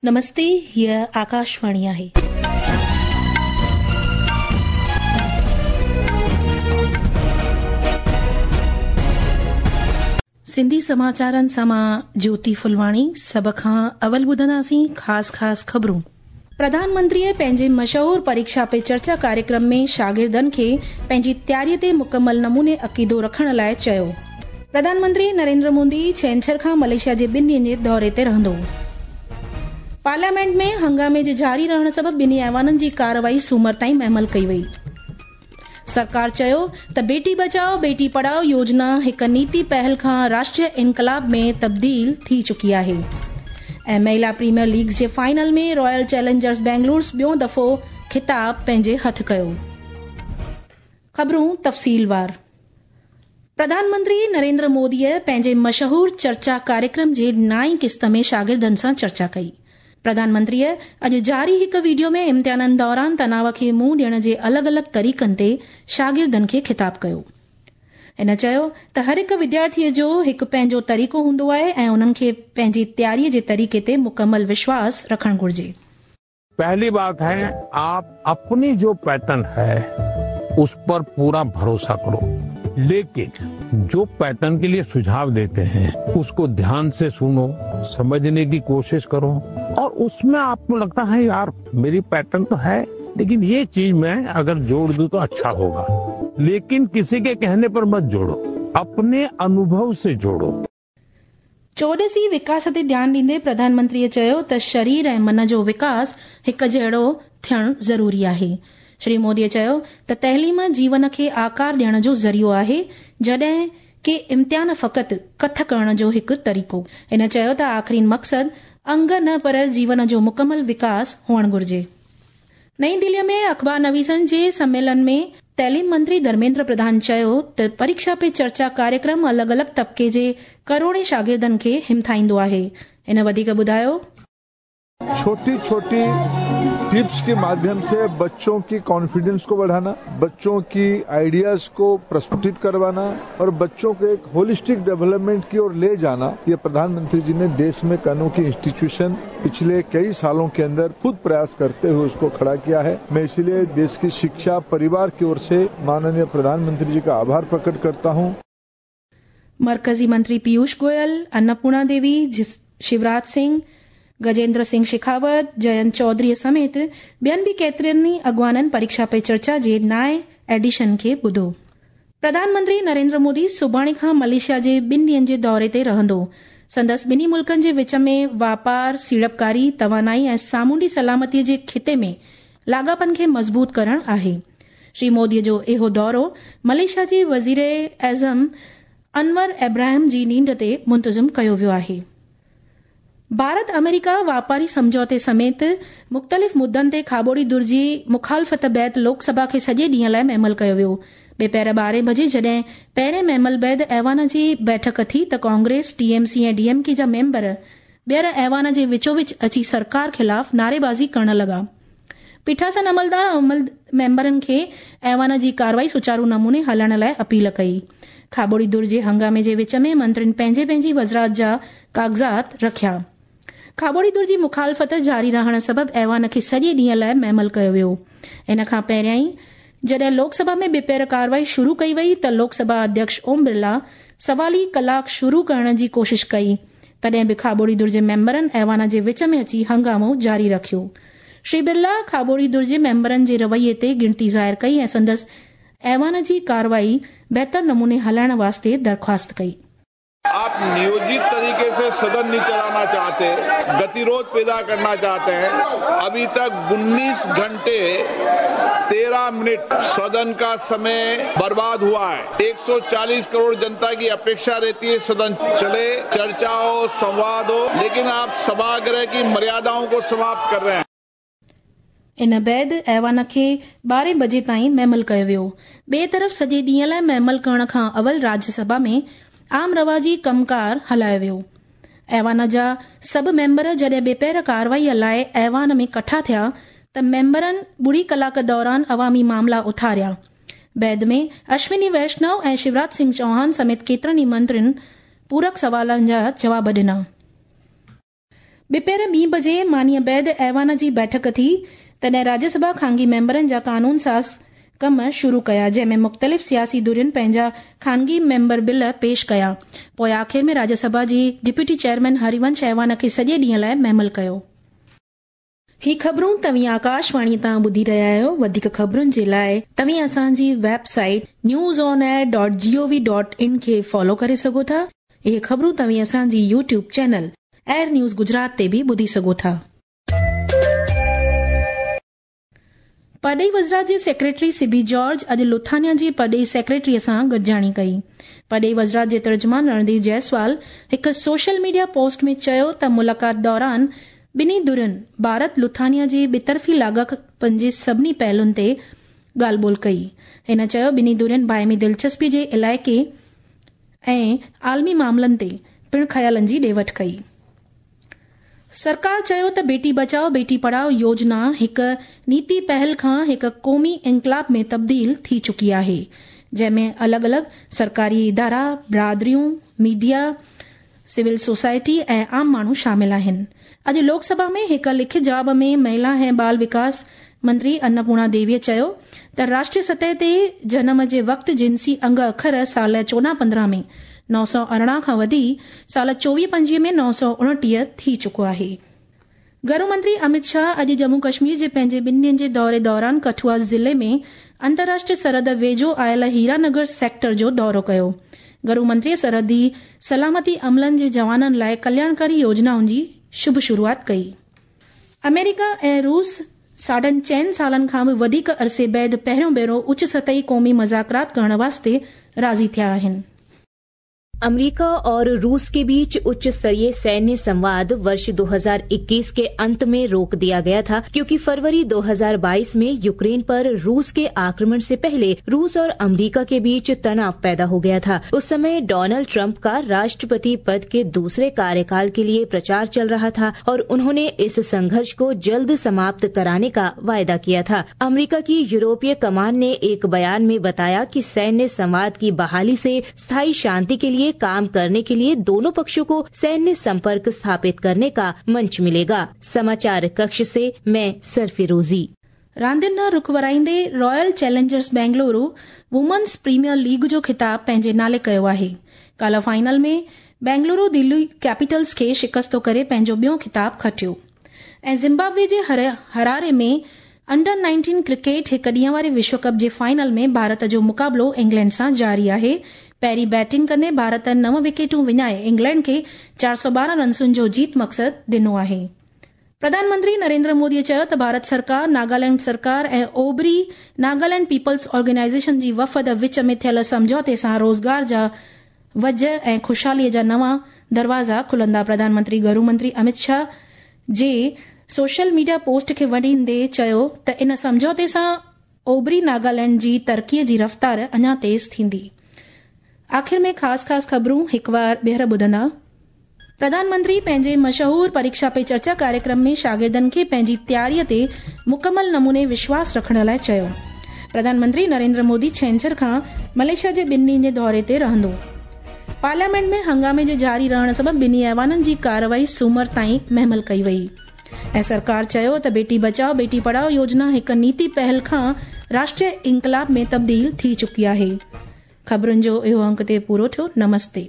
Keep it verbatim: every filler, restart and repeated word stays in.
नमस्ते, हीअ आकाशवाणी आहे. सिंधी समाचारनि सां मां ज्योति फुलवाणी। सभ खां अवल ॿुधंदासीं ख़ासि ख़ासि ख़बरूं। प्रधानमंत्रीअ पंहिंजे मशहूर परीक्षा पे चर्चा कार्यक्रम में शागिर्दनि खे पंहिंजी तयारीअ ते मुकमल नमूने अक़ीदो रखण लाइ चयो। प्रधानमंत्री नरेंद्र मोदी छेंछर खां मलेशिया जे ॿिनि ॾींहंनि जे दौरे ते रहंदो। पार्लियामेंट में हंगामे जे जारी रहण सबबि ॿिन्ही ऐवाननि जी कार्रवाई सूमर ताईं महमल कई वई। सरकार चयो त बेटी बचाओ बेटी पढ़ाओ योजना हिकु नीति पहल खां राष्ट्रीय इनकलाब में तब्दील थी चुकी आहे। ऐं महिला प्रीमियर लीग जे फाइनल में रॉयल चैलेंजर्स बेंगलुरु ॿियो दफ़ो ख़िताब पंहिंजे हथ कयो। ख़बरूं तफ़सीलवार। प्रधानमंत्री नरेंद्र मोदीअ पंहिंजे मशहूर चर्चा कार्यक्रम जे नाई किस्त में शागिर्दनि सां चर्चा कई। प्रधानमंत्रीअ अॼु जारी हिकु वीडियो में इम्तिहाननि दौरान तनाव खे मुंहुं ॾियण जे अलॻि अलॻि तरीक़नि ते शागिर्दनि खे ख़िताब कयो। हिन चयो त हर हिकु विद्यार्थीअ जो हिकु पंहिंजो तरीक़ो हूंदो आहे ऐं उन्हनि खे पंहिंजी तयारीअ जे तरीक़े ते मुकमल विश्वास रखणु घुर्जे। पहली बात है, आप अपनी जो पैटर्न है उस पर पूरा भरोसा करो, लेकिन जो पैटर्न के लिए सुझाव देते हैं उसको ध्यान से सुनो, समझने की कोशिश करो और उसमें आपको लगता है यार मेरी पैटर्न तो है लेकिन ये चीज मैं अगर जोड़ दूं तो अच्छा होगा, लेकिन किसी के कहने पर मत जोड़ो, अपने अनुभव से जोड़ो। चौॾसी विकास ते ध्यान ॾींदे प्रधानमंत्रीअ चयो त शरीर ऐं मन जो विकास हिकु जहिड़ो थियणु ज़रूरी आहे। श्री मोदीअ चयो त तइलीम जीवन खे आकार ॾियण जो ज़रियो आहे, जॾहिं की इम्तिहान फ़क़ति कथ करण जो हिकु तरीक़ो। हिन चयो त आख़िरी मक़सदु अंग न पर जीवन जो मुकमल विकास हुअणु घुर्जे। नई दिल्लीअ में अख़बार नवीसनि जे सम्मेलन में तइलीम मंत्री धर्मेंद्र प्रधान चयो त परीक्षा पे चर्चा कार्यक्रम अलॻि अलॻि तबके जे करोड़े शागिर्दनि खे हिमथाईंदो आहे। हिन वधीक ॿुधायो, छोटी छोटी टिप्स के माध्यम से बच्चों की कॉन्फिडेंस को बढ़ाना, बच्चों की आइडियाज को प्रस्फुटित करवाना और बच्चों को एक होलिस्टिक डेवलपमेंट की ओर ले जाना, ये प्रधानमंत्री जी ने देश में अनोखी इंस्टीट्यूशन पिछले कई सालों के अंदर खुद प्रयास करते हुए उसको खड़ा किया है। मैं इसलिए देश की शिक्षा परिवार की ओर से माननीय प्रधानमंत्री जी का आभार प्रकट करता हूँ। मरकजी मंत्री पीयूष गोयल, अन्नपूर्णा देवी, शिवराज सिंह, गजेंद्र सिंह शेखावत, जयंत चौधरी समेत ॿियनि बि केतिरनि ई अॻवाननि परीक्षा पे चर्चा जे नाए एडिशन खे ॿुधो। प्रधानमंत्री नरेंद्र मोदी सुभाणे खां मलेशिया जे ॿिनि ॾींहंनि जे दौरे ते रहंदो। संदसि ॿिन्ही मुल्कनि जे विच में वापार, सीड़पकारी, तवानाई ऐं सामुंडी सलामतीअ जे ख़िते में लाॻापनि खे मज़बूत करणु आहे। श्री मोदीअ जो इहो दौरो मलेशिया जे वज़ीर आज़म अनवर इब्राहिम जी नींड ते मुंतज़िम कयो वियो आहे। भारत अमेरिका वापारी सम्झौते समेत मुख़्तलिफ़ मुद्दनि ते खाबोड़ी धुर जी मुखालफ़त बैद लोकसभा खे सॼे ॾींहं लाइ महमल कयो वियो। ॿिपहर ॿारहें बजे जॾहिं पहिरें महमल बैद ऐवान जी बैठक थी त कांग्रेस, टीएमसी ऐं डीएमके जा मेंबर ॿीहर ऐवान जे विचोविच अची सरकार ख़िलाफ़ नारेबाज़ी करण लॻा। पीठासन अमलदार अमल मेंबरनि खे ऐवान जी कार्रवाई सुचारू नमूने हलण लाइ अपील कई। खाबोड़ी धुर जे हंगामे जे विच में मंत्रियुनि पंहिंजी पंहिंजी वज़ारत जा काग़ज़ात रखिया। खाबोड़ी धुर जी मुखालफ़त जारी रहण सबबि ऐवान खे सॼे ॾींहं लाइ महमल कयो वियो। इन खां पहिरियां जॾहिं लोकसभा में ॿिपहर कार्रवाई शुरू कई वई त लोकसभा अध्यक्ष ओम बिरला सवाली कलाक शुरू करण जी कोशिश कई, तॾहिं बि खाबोड़ी धुर जे मेंबरनि ऐवान जे विच में अची हंगामो जारी रखियो। श्री बिरला खाबोड़ी धुर जे मेंबरनि जे रवैये ते गिणती ज़ाहिर कई ऐं संदसि ऐवान जी कार्रवाई बहितर नमूने हलाइण वास्ते दरख़्वास्त कई। आप नियोजित तरीके से सदन नहीं चलाना चाहते, गतिरोध पैदा करना चाहते हैं। अभी तक उन्नीस घंटे तेरह मिनट सदन का समय बर्बाद हुआ है। एक सौ चालीस करोड़ जनता की अपेक्षा रहती है सदन चले, चर्चा हो, संवाद हो, लेकिन आप सभागृह की मर्यादाओं को समाप्त कर रहे हैं। इन बैद ऐवान खे ॿारहें बजे ताईं महमल कयो वियो। ॿिए तरफ़ सॼे ॾींहं लाइ महमल करण खां अवल राज्यसभा में आम रवाजी कमकार हलायो वियो। ऐवान जा सभु मेंबर जॾहिं ॿिपहर कार्रवाईअ लाइ ऐवान में कठा थिया त मेंबरनि ॿुड़ी कलाक दौरान अवामी मामला उथारिया। बैद में अश्विनी वैष्णव ऐं शिवराज सिंह चौहान समेत केतिरनि ई मंत्रियुनि पूरक सवालनि जा जवाब ॾिना। ॿिपहर ॿी बजे मानीअ बैद ऐवान जी बैठक थी, तॾहिं राज्यसभा खानगी मेंबरनि जा कानून साज़ कम शुरू कया, जंहिं में मुख़्तलिफ़ सियासी धुरियुनि पंहिंजा खानगी मेंबर बिल पेश कया। पोइ आख़िर में राज्यसभा जी डिप्यूटी चेयरमैन हरिवंश ऐवान खे सॼे ॾींहं लाइ महिमल कयो। ही ख़बरूं तव्हीं आकाशवाणी तां ॿुधी रहिया आहियो। वधीक ख़बरुनि जे लाइ तव्हीं असांजी website news on air dot gov dot in खे फॉलो करे सघो था। इहे ख़बरूं तव्हीं असांजी YouTube channel AIR news Gujarat ते बि ॿुधी सघो था। परॾेही वज़ारत जे सेक्रेटरी सिबी जॉर्ज अॼु लुथानिया जी परॾेही सेक्रेटरीअ सां गॾिजाणी कई। परॾेही वज़ारत जे तर्जुमान रणधीर जायसवाल हिकु सोशल मीडिया पोस्ट में चयो त मुलाक़ात दौरान ॿिन्ही धुरियुनि भारत लुथानिया जे ॿितरफ़ी लाॻापनि जे सभिनी पहलुनि ते ॻाल्हि ॿोल कई। हिन चयो ॿिन्ही धुरियुनि बाहिमी दिलचस्पी जे इलाइक़े ऐं आलमी मामलनि ते पिणु ख़्यालनि जी ॾे वठ कई। सरकार चयो त बेटी बचाओ बेटी पढ़ाओ योजना हिकु नीति पहल खां हिकु क़ौमी इंक़लाब में तब्दील थी चुकी आहे, जंहिंमें अलॻि अलॻि सरकारी इदारा, बिरादरियूं, मीडिया, सिविल सोसाइटी ऐं आम माण्हू शामिल आहिनि। अॼु लोकसभा में हिकु लिखित जवाब में महिला ऐं बाल विकास मंत्री अन्नपूर्णा देवीअ चयो त राष्ट्रीय सतह ते जनम जे वक़्तु जिनसी अंग अखर साल चोॾहं पंद्रहं में नौ सौ अरिड़हं खां वधी साल चोवीह पंजवीह में नौ सौ उणटीह थी चुको आहे। गृह मंत्री अमित शाह अॼु जम्मू कश्मीर जे पंहिंजे ॿिनि ॾींहनि जे दौरे दौरान कठुआ ज़िले में अंतर्राष्ट्रीय सरहद वेझो आयल हीरानगर सेक्टर जो दौरो कयो। गृह मंत्रीअ सरहदी सलामती अमलनि जे जवाननि लाइ कल्याणकारी योजनाउनि जी शुभ शुरूआत कई। अमेरिका ऐं रूस साढनि चइनि सालनि खां बि वधीक अरसे बाद पहिरियों भेरो उच्च सतही क़ौमी मुज़ाकरात करण वास्ते राज़ी थिया आहिनि। अमेरिका और रूस के बीच उच्च स्तरीय सैन्य संवाद वर्ष दो हज़ार इक्कीस के अंत में रोक दिया गया था, क्योंकि फरवरी दो हज़ार बाईस में यूक्रेन पर रूस के आक्रमण से पहले रूस और अमेरिका के बीच तनाव पैदा हो गया था। उस समय डोनाल्ड ट्रंप का राष्ट्रपति पद के दूसरे कार्यकाल के लिए प्रचार चल रहा था और उन्होंने इस संघर्ष को जल्द समाप्त कराने का वायदा किया था। अमेरिका की यूरोपीय कमान ने एक बयान में बताया कि सैन्य संवाद की बहाली से स्थायी शांति के लिए काम करने के लिए दोनों पक्षों को सैन्य संपर्क स्थापित करने का मंच मिलेगा। समाचार कक्ष से मैं सरफिरोजी। रांदियुनि ॾांहुं रुख वराईंदे Royal Challengers Bengaluru women's premier league जो ख़िताब पंहिंजे नाले कयो आहे। काल्ह फाइनल में बेंगलुरु दिल्ली कैपिटल्स खे शिकस्तो करे पंहिंजो ॿियो ख़िताब खटियो। ऐं ज़िम्बाब्वे जे हरारे में अंडर नाइनटीन क्रिकेट हिकु ॾींहं वारे विश्व कप जे फाइनल में भारत जो मुक़ाबिलो इंग्लैंड सां जारी आहे। पहिरीं बैटिंग कंदे भारत नव विकेटूं विञाए इंग्लैंड खे चारि सौ ॿारहं रनसुनि जो जीत मक़सदु ॾिनो आहे। प्रधानमंत्री नरेंद्र मोदीअ चयो त भारत सरकार, नागालैंड सरकार ऐं ओबरी नागालैंड पीपल्स ऑर्गेनाइजेशन जी वफ़द विच में थियल सम्झौते सां रोज़गार जा वज ऐं ख़ुशहालीअ जा नवां दरवाज़ा खुलंदा। प्रधानमंत्री गृह मंत्री अमित शाह जे सोशल मीडिया पोस्ट खे वंडींदे चयो त इन सम्झौते सां ओबरी नागालैंड जी तरक़ीअ जी रफ़्तार अञा तेज़ थींदी। आख़िर में ख़ासि ख़ासि ख़बरूं हिकु वार ॿीहर ॿुधंदा। प्रधानमंत्री पंहिंजे मशहूर परीक्षा पे चर्चा कार्यक्रम में शागिर्दनि खे पंहिंजी तयारीअ ते मुकमल नमूने विश्वास रखण लाइ चयो। प्रधानमंत्री नरेंद्र मोदी छेंछर खां मलेशिया जे ॿिनि ॾींहनि जे दौरे ते रहंदो। पार्लियामेंट में हंगामे जे जारी रहण सबबि ॿिन्ही ऐवाननि जी कार्रवाई सूमर ताईं महमल कई वई। ऐं सरकार चयो त बेटी बचाओ बेटी पढ़ाओ योजना हिकु नीति पहल खां राष्ट्रीय इंक़लाब में तब्दील थी चुकी आहे। ख़बरुनि जो इहो अंक ते पूरो थियो। नमस्ते।